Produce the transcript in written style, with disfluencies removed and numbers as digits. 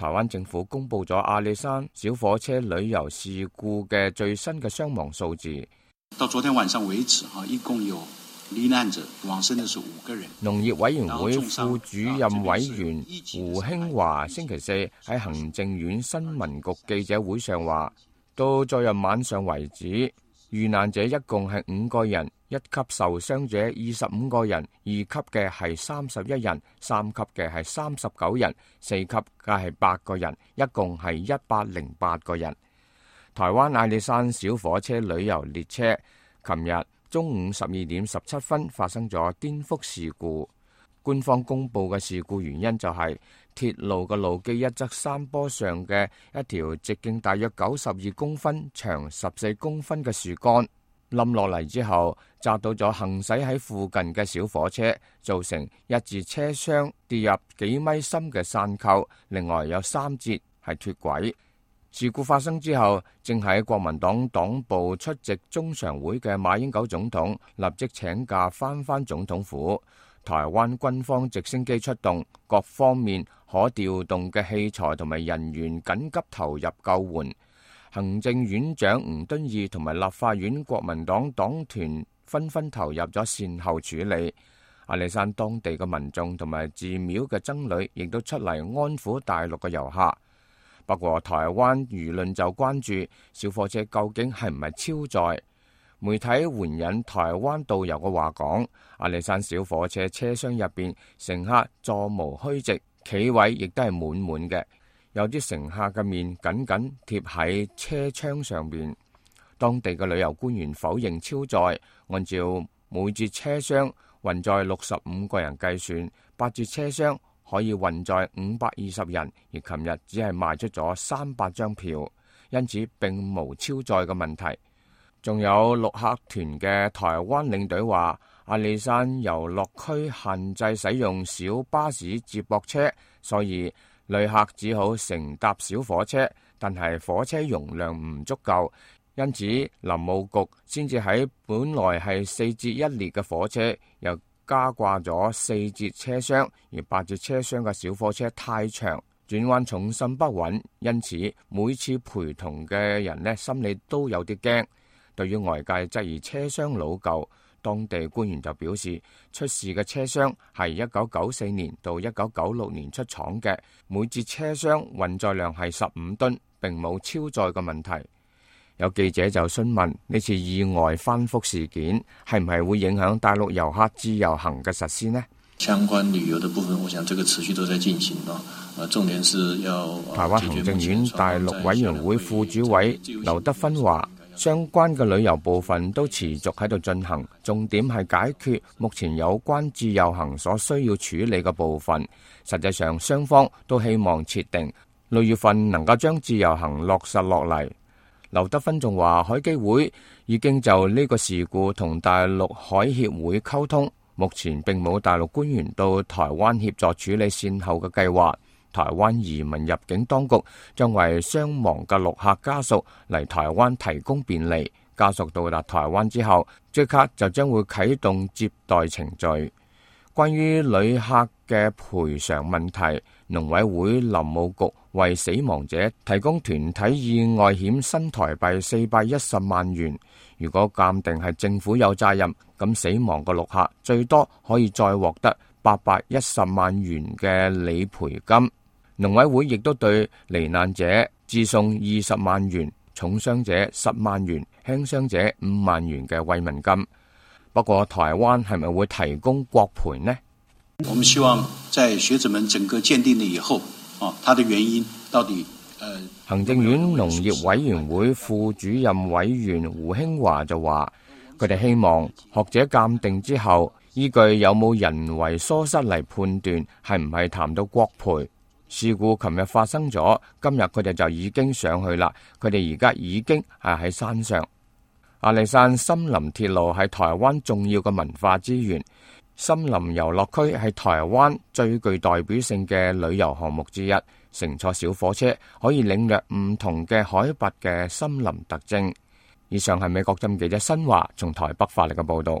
台灣政府公布咗阿里山小火車旅遊事故嘅最新嘅傷亡數字。到昨天晚上為止，一共有罹難者，往生的是5個人。農業委員會副主任委員胡興華星期四喺行政院新聞局記者會上話，到昨日晚上為止，遇難者一共係5個人，1級受傷者25個人，2級嘅係31人，3級嘅係39人，4級嘅係8個人，一共係108個人。台灣阿里山小火車旅遊列車琴日中午12點17分發生咗顛覆事故。官方公布嘅事故原因就係鐵路嘅路基一側山坡上嘅一條直徑大約92公分、長14公分嘅樹幹冧落嚟之後，砸到咗行駛喺附近嘅小火車，造成一節車廂跌入幾米深嘅山溝，另外有3節係脫軌。事故發生之後，正喺國民黨黨部出席中常會嘅馬英九總統立即請假返總統府。台灣軍方直升機出動，各方面可調動嘅器材同埋人員緊急投入救援。行政院長吳敦義同埋立法院國民黨黨團紛紛投入咗善後處理。阿里山當地嘅民眾同埋寺廟嘅僧侶亦都出嚟安撫大陸嘅遊客。不過台灣輿論就關注小火車究竟係唔係超載。媒體援引台灣導遊嘅話講，阿里山小火車車廂入邊乘客座無虛席，企位亦都係滿滿嘅，有啲乘客嘅面緊緊貼喺車窗上邊。當地嘅旅遊官員否認超載，按照每節車廂運載65個人計算，8節車廂可以運載520人，而琴日只係賣出咗300張票，因此並無超載嘅問題。仲有陸客團嘅台灣領隊話，阿里山遊樂區限制使用小巴士接駁車，所以旅客只好乘搭小火車，但係火車容量唔足夠，因此林務局先至喺本來係4節1列嘅火車又加掛咗4節車廂，而8節車廂嘅小火車太長，轉彎重心不穩，因此每次陪同嘅人呢，心裏都有啲驚。對於外界質疑車廂老舊，當地官員就表示，出事嘅車廂係1994年到1996年出廠嘅，每節車廂運載量係15噸，並冇超載嘅問題。有記者就詢問呢次意外翻覆事件係唔係會影響大陸遊客自由行嘅實施呢？相關旅遊的部分，我想這個持續都在進行咯。重點是要台灣行政院大陸委員會副主委劉德芬話，相關嘅旅遊部分都持續喺度進行，重點係解決目前有關自由行所需要處理嘅部分。實際上雙方都希望設定6月份能夠將自由行落實落嚟。劉德芬仲話，海基會已經就呢個事故同大陸海協會溝通，目前並冇大陸官員到台灣協助處理善後嘅計劃。台灣移民入境當局將為傷亡嘅陸客家屬嚟台灣提供便利，家屬到達台灣之後，即刻就將會啟動接待程序。關於旅客嘅賠償問題，農委會林務局為死亡者提供團體意外險新台幣410萬元。如果鑑定係政府有責任，咁死亡嘅陸客最多可以再獲得810萬元嘅理賠金。農委會亦都對罹難者致送20萬元、重傷者10萬元、輕傷者5萬元嘅慰問金。不過台灣係咪會提供國賠呢？我們希望在學者們整個鑑定了以後，它的原因到底行政院農業委員會副主任委員胡興華就話，佢哋希望學者鑑定之後，依據有冇人為疏失嚟判斷係唔係談到國賠。事故琴日發生咗，今日佢哋就已經上去啦。佢哋而家已經係喺山上。阿里山森林鐵路係台灣重要嘅文化資源，森林遊樂區係台灣最具代表性嘅旅遊項目之一。乘坐小火車可以領略唔同嘅海拔嘅森林特徵。以上係美國之音記者新華從台北發嚟嘅報道。